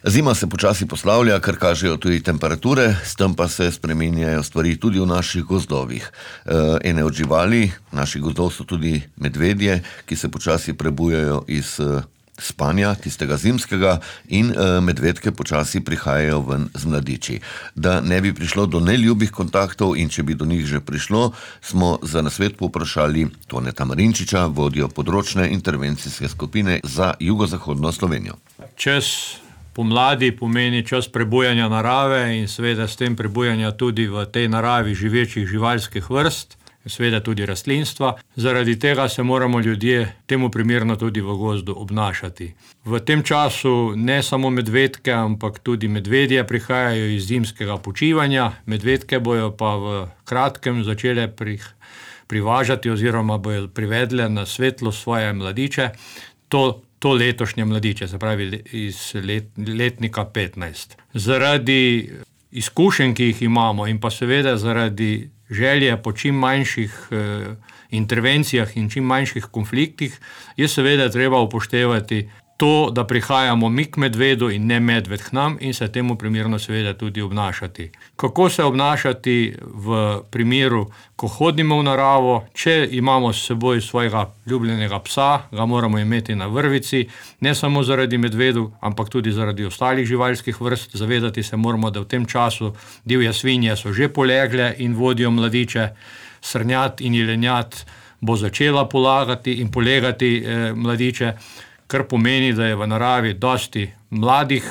Zima se počasi poslavlja, kar kažejo tudi temperature, s tem pa se spreminjajo stvari tudi v naših gozdovih. Ene od živali naših gozdov so tudi medvedje, ki se počasi prebujajo iz spanja, tistega zimskega, in medvedke počasi prihajajo ven z mladiči. Da ne bi prišlo do neljubih kontaktov in če bi do njih že prišlo, smo za nasvet povprašali Toneta Marinčiča, vodjo področne intervencijske skupine za jugozahodno Slovenijo. Čas pomladi pomeni čas prebujanja narave in seveda s tem prebujanja tudi v tej naravi živečih živalskih vrst, seveda tudi rastlinstva. Zaradi tega se moramo ljudje temu primerno tudi v gozdu obnašati. V tem času ne samo medvedke, ampak tudi medvedje prihajajo iz zimskega počivanja. Medvedke bojo pa v kratkem začele privažati oziroma bojo privedle na svetlo svoje mladiče. To letošnje mladiče, se pravi iz letnika 15. Zaradi izkušenj, ki jih imamo, in pa seveda zaradi želje po čim manjših intervencijah in čim manjših konfliktih, je seveda treba upoštevati to, da prihajamo mi k medvedu in ne medved k nam, in se temu primerno seveda tudi obnašati. Kako se obnašati v primeru, ko hodimo v naravo? Če imamo s seboj svojega ljubljenega psa, ga moramo imeti na vrvici, ne samo zaradi medvedu, ampak tudi zaradi ostalih živalskih vrst. Zavedati se moramo, da v tem času divje svinje so že polegle in vodijo mladiče, srnjad in jelenjad bo začela polagati in polegati mladiče, kar pomeni, da je v naravi dosti mladih,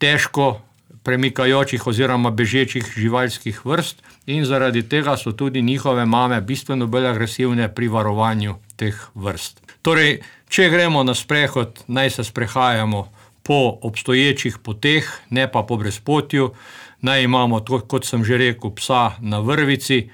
težko premikajočih oziroma bežečih živalskih vrst, in zaradi tega so tudi njihove mame bistveno bolj agresivne pri varovanju teh vrst. Torej, če gremo na sprehod, naj se sprehajamo po obstoječih poteh, ne pa po brezpotju, naj imamo, kot sem že rekel, psa na vrvici.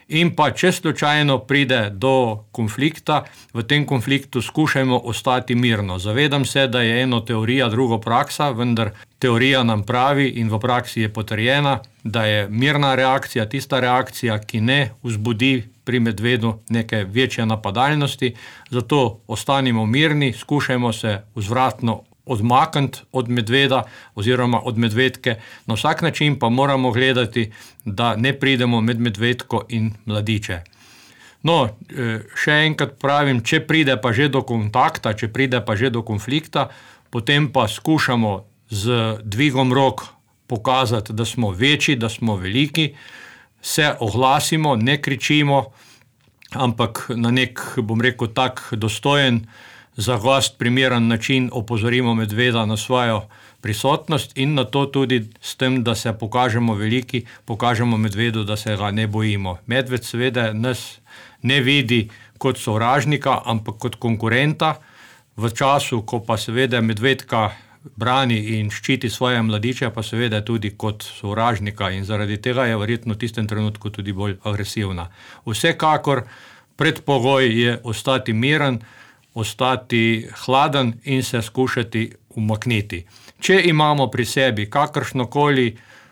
In pa, če slučajno pride do konflikta, v tem konfliktu skušajmo ostati mirno. Zavedam se, da je eno teorija, drugo praksa, vendar teorija nam pravi in v praksi je potrjena, da je mirna reakcija tista reakcija, ki ne vzbudi pri medvedu neke večje napadalnosti. Zato ostanimo mirni, skušajmo se vzvratno odmakniti od medveda oziroma od medvedke. Na vsak način pa moramo gledati, da ne pridemo med medvedko in mladiče. No, še enkrat pravim, če pride pa že do kontakta, če pride pa že do konflikta, potem pa skušamo z dvigom rok pokazati, da smo večji, da smo veliki, se oglasimo, ne kričimo, ampak na nek, bom rekel, tak dostojen, za gost primeren način opozorimo medveda na svojo prisotnost in na to tudi s tem, da se pokažemo veliki, pokažemo medvedu, da se ga ne bojimo. Medved seveda nas ne vidi kot sovražnika, ampak kot konkurenta. V času, ko pa seveda medvedka brani in ščiti svoje mladiče, pa seveda tudi kot sovražnika, in zaradi tega je verjetno v tistem trenutku tudi bolj agresivna. Vsekakor predpogoj je ostati miren, ostati hladen in se skušati umakniti. Če imamo pri sebi kakršnokoli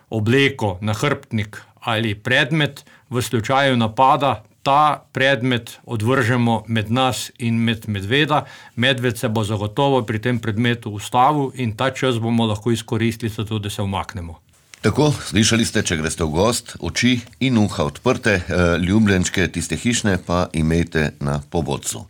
obleko, nahrbtnik ali predmet, v slučaju napada ta predmet odvržemo med nas in med medveda. Medved se bo zagotovo pri tem predmetu ustavil in ta čas bomo lahko izkoristili za to, da se umaknemo. Tako, slišali ste, če greste v gost, oči in uha odprte, ljubljenčke, tiste hišne, pa imejte na povodcu.